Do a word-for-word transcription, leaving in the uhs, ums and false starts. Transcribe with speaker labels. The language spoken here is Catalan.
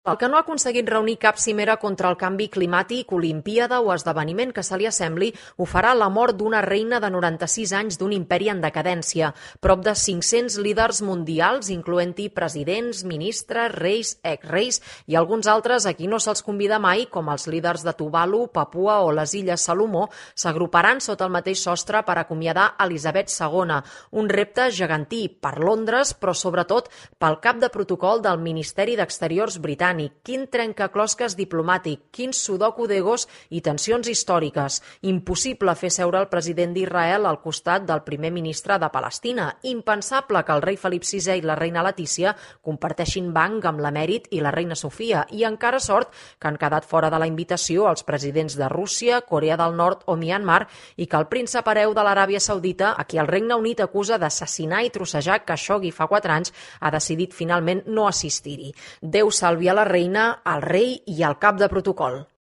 Speaker 1: El que no ha aconseguit reunir cap cimera contra el canvi climàtic, olimpíada o esdeveniment que se li assembli, ho farà la mort d'una reina de noranta-sis anys d'un imperi en decadència. Prop de cinc-cents líders mundials, incloent-hi presidents, ministres, reis, exreis i alguns altres a qui no se'ls convida mai, com els líders de Tuvalu, Papua o les Illes Salomó, s'agruparan sota el mateix sostre per acomiadar Elisabet segona. Un repte gegantí per Londres, però sobretot pel cap de protocol del Ministeri d'Exteriors britànic. Quin trencaclosques diplomàtic, quin sudoku d'egos i tensions històriques. Impossible fer seure el president d'Israel al costat del primer ministre de Palestina. Impensable que el rei Felip sisè i la reina Letícia comparteixin banc amb l'emèrit i la reina Sofia. I encara sort que han quedat fora de la invitació els presidents de Rússia, Corea del Nord o Myanmar i que el príncep hereu de l'Aràbia Saudita, a qui el Regne Unit acusa d'assassinar i trossejar Khashoggi fa quatre anys, ha decidit finalment no assistir-hi. Déu salvi a la reina, al rei i al cap de protocol.